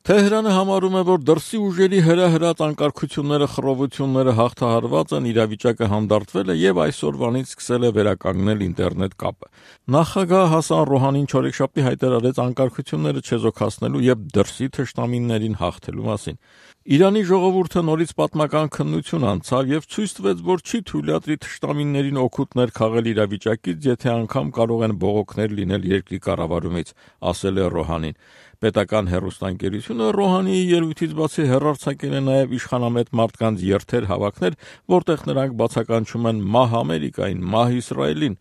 Թեհրանը համարում է, որ դրսի ուժերի հրահրած անկարգությունները, խռովությունները հաղթահարված են, իրավիճակը հանդարտվել է եւ այսօրվանից սկսել է վերականգնել ինտերնետ կապը։ Նախագահ Հասան Ռոհանին չորեքշաբթի հայտարարեց անկարգությունները չեզոքացնելու եւ դրսի թշնամիներին հաղթելու մասին։ Իրանի ժողովուրդը նորից պատմական քննություն անցավ եւ ցույց տվեց, որ չի թույլատրի թշնամիներին օգուտներ քաղել իրավիճակից, եթե անգամ կարող են բողոքներ լինել երկրի կառավարումից, ասել է Ռոհանին։ Պետական հեռուստաընկերությունը Ռոհանիի ելույթից բացի հեռարձակել է նաև իշխանամետ մարդկանց երթեր հավաքներ, որտեղ նրանք բացականչում են մահ Ամերիկային, մահ Իսրայելին։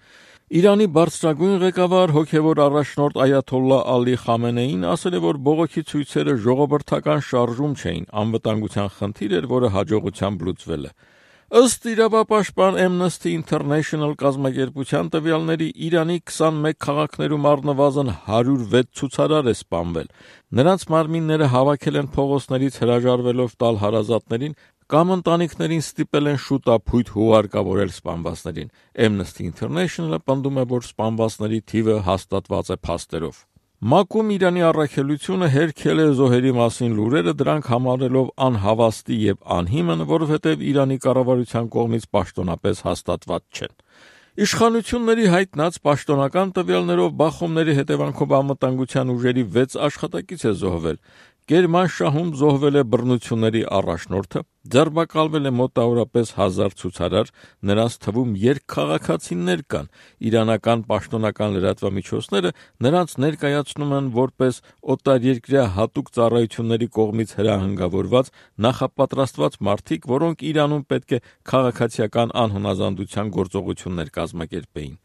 Իրանի բարձրագույն ղեկավար հոգևոր առաջնորդ Այաթոլլահ Ալի Խամենեին ասել է, որ բողոքի ցույցերը ժողովրդական շարժում չէին, անվտանգության խնդիր էր, որը հաջողությամբ լուծվել է։ Ըստ իրավապաշտպան Amnesty International կազմակերպության տվյալների, Իրանի 21 քաղաքներում առնվազն 106 ցուցարար է սպանվել։ Նրանց մարմինները հավաքել են փողոցներից հրաժարվելով տալ հարազատներին կամ ընտանիքներին ստիպել են շուտափույթ հուղարկավորել սպանվածներին։ Amnesty International-ը պնդում է, որ սպանվածների թիվը հաստատված է փաստերով։ ՄԱԿ-ում Իրանի առաքելությունը հերքել է զոհերի մասին լուրերը, դրանք համարելով անհավաստի եւ անհիմն, որովհետեւ Իրանի կառավարության կողմից պաշտոնապես հաստատված չեն։ Իշխանությունների հայտնած պաշտոնական տվյալներով բախումների հետևանքով անվտանգության ուժերի 6 աշխատակից է զոհվել։ Կերմանշահում զոհվել է բռնությունների առաջնորդը, ձերբակալվել է մոտավորապես 1000 ցուցարար, նրանց թվում երկքաղաքացիներ կան։ Իրանական պաշտոնական լրատվամիջոցները նրանց ներկայացնում են որպես օտարերկրյա հատուկ ծառայությունների կողմից հրահանգավորված, նախապատրաստված մարդիկ, որոնք Իրանում պետք է քաղաքացիական անհնազանդության գործողություններ կազմակերպեին։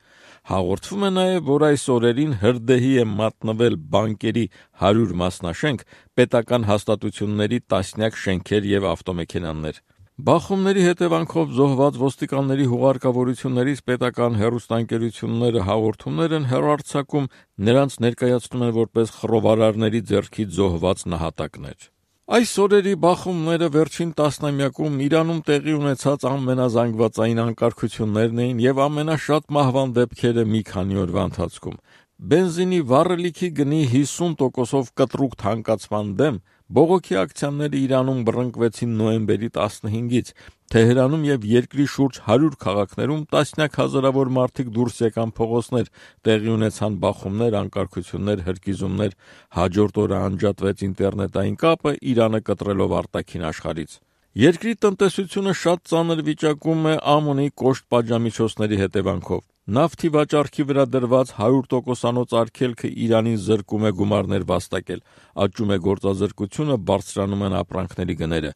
Հաղորդվում է նաև, որ այս օրերին հրդեհի է մատնվել բանկերի 100 մասնաշենք, պետական հաստատությունների տասնյակ շենքեր եւ ավտոմեքենաներ։ Բախումների հետևանքով զոհված ոստիկանների հուղարկավորություններից պետական հեռուստաընկերությունները հաղորդումներ են հեռարձակում, նրանց ներկայացնում են որպես խռովարարների ձեռքից զոհված նահատակներ։ Այս օրերի բախումները վերջին տասնամյակում Իրանում տեղի ունեցած ամենազանգվածային անկարգություններն էին եւ ամենաշատ մահվան դեպքերը մի քանի օրվա ընթացքում։ Բենզինի վառելիքի գնի 50%-ով կտրուկ թանկացման դեմ բողոքի ակցիաները Իրանում բռնկվեցին նոյեմբերի 15-ից։ Թեհրանում եւ երկրի շուրջ 100 քաղաքներում տասնյակ հազարավոր մարդիկ դուրս եկան փողոցներ, տեղի ունեցան բախումներ, անկարգություններ, հրկիզումներ, հաջորդ օրը անջատվեց ինտերնետային կապը, Իրանը կտրելով արտաքին աշխարհից։ Երկրի տնտեսությունը շատ ծանր վիճակում է ԱՄՆ-ի կոշտ պատժամիջոցների հետևանքով։ Նավթի վաճառքի վրա դրված 100%-անոց արգելքը Իրանին զրկում է գումարներ վաստակել, աճում է գործազրկությունը, բարձրանում են ապրանքների գները։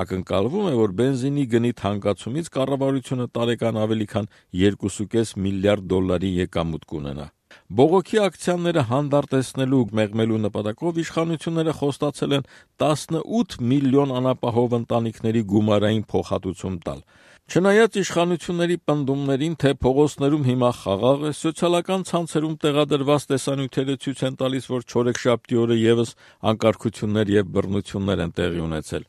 Ակնկալվում է, որ բենզինի գնի թանկացումից կառավարությունը տարեկան ավելի քան 2.5 միլիարդ դոլարի եկամուտ կունենա։ Բողոքի ակցիաները հանդարտեցնելու ու մեղմելու նպատակով իշխանությունները խոստացել են 18 միլիոն անապահով ընտանիքների գումարային փոխհատուցում տալ։ Չնայած իշխանությունների պնդումներին, թե փողոցներում հիմա խաղաղ է, սոցիալական ցանցերում տեղադրված տեսանյութերը ցույց են տալիս, որ չորեքշաբթի օրը եւս անկարգություններ եւ բռնություններ են տեղի ունեցել։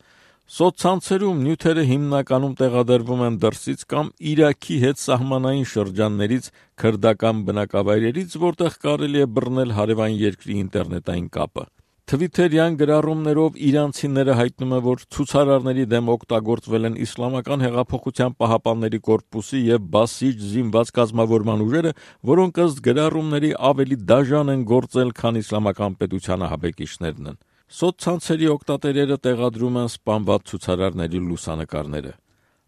Սոցցանցերում նյութերը հիմնականում տեղադրվում են դրսից կամ Իրաքի հետ սահմանային շրջաններից, քրդական բնակավայրերից, որտեղ կարելի է բռնել հարևան երկրի ինտերնետային կապը։ Թվիթերյան գրառումներով իրանցիները հայտնում են, որ ցուցարարների դեմ օգտագործվել են Իսլամական հեղափոխության պահապանների կորպուսի եւ Բասիջ զինված կազմավորման ուժերը, որոնք ըստ գրառումների ավելի դաժան են գործել, քան իսլամական պետության ահաբեկիչներն են։ Սոցցանցերի օգտատերերը տեղադրում են սպանված ցուցարարների լուսանկարները։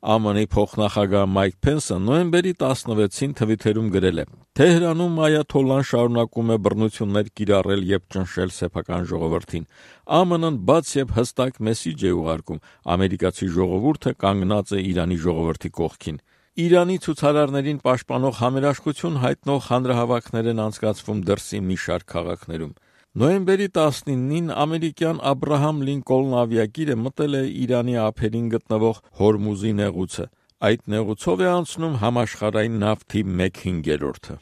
ԱՄՆ-ի փոխնախագահ Մայք Փենսը նոյեմբերի 16-ին Թվիթերում գրել է. Թեհրանում Այաթոլլան շարունակում է բռնություններ կիրառել եւ ճնշել սեփական ժողովրդին։ ԱՄՆ-ն բաց եւ հստակ մեսիջ է ուղարկում. ամերիկացի ժողովուրդը կանգնած է Իրանի ժողովրդի կողքին։ Իրանի ցուցարարներին պաշտպանող համերաշխություն հայտնող հանրահավաքներ են անցկացվում դրսի մի շարք քաղաքներում։ Նոյեմբերի 19-ին ամերիկյան Աբրահամ Լինկոլն ավիակիրը մտել է Իրանի ափերին գտնվող Հորմուզի նեղուցը։ Այդ նեղուցով է անցնում համաշխարհային նավթի 1/5-ը։